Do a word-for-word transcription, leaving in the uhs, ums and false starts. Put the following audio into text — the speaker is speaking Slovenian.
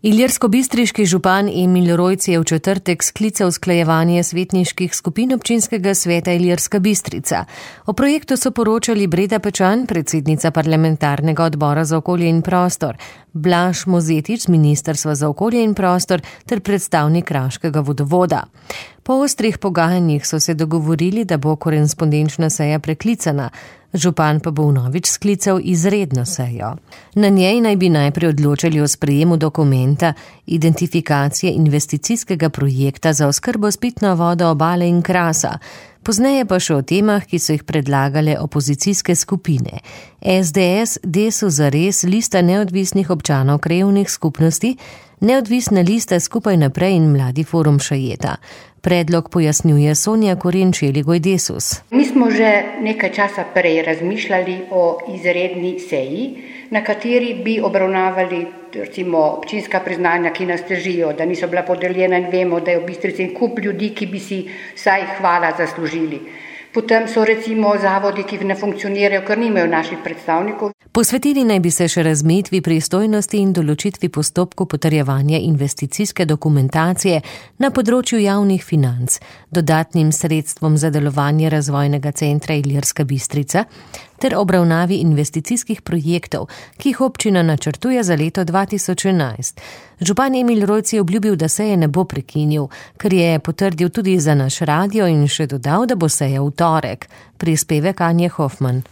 Ilirskobistriški župan Emil Rojc je v četrtek sklical usklajevanje svetniških skupin občinskega sveta Ilirska Bistrica. O projektu so poročali Breda Pečan, predsednica parlamentarnega odbora za okolje in prostor, Blaž Mozetič z Ministrstva za okolje in prostor ter predstavnik Kraškega vodovoda. Po ostrih pogajanjih so se dogovorili, da bo korespondenčna seja preklicana, župan pa bo vnovič sklical izredno sejo. Na njej naj bi najprej odločali o sprejemu dokumenta identifikacije investicijskega projekta za oskrbo s pitno vodo Obale in Krasa, pozneje pa še o temah, ki so jih predlagale opozicijske skupine. es de es, Desus zares, Lista neodvisnih občanov krajevnih skupnosti, Neodvisna lista Skupaj naprej in Mladi forum Šajeta. Predlog pojasnjuje Sonja Korenč-Jeligoj Desus. Mi smo že nekaj časa prej razmišljali o izredni seji, na kateri bi obravnavali recimo občinska priznanja, ki nas težijo, da niso bila podeljena in vemo, da je v Bistrici en kup ljudi, ki bi si vsaj hvala zaslužili. Potem so recimo zavodi, ki ne funkcionirajo, ker nimajo naših predstavnikov. Posvetili naj bi se še razmejitvi pristojnosti in določitvi postopku potrjevanja investicijske dokumentacije na področju javnih financ, dodatnim sredstvom za delovanje razvojnega centra Ilirska Bistrica ter obravnavi investicijskih projektov, ki jih občina načrtuje za leto dva tisoč enajst. Župan Emil Rojc je obljubil, da seje ne bo prekinil, kar je potrdil tudi za naš radio in še dodal, da bo seja v torek. Prispevek Anje Hofman.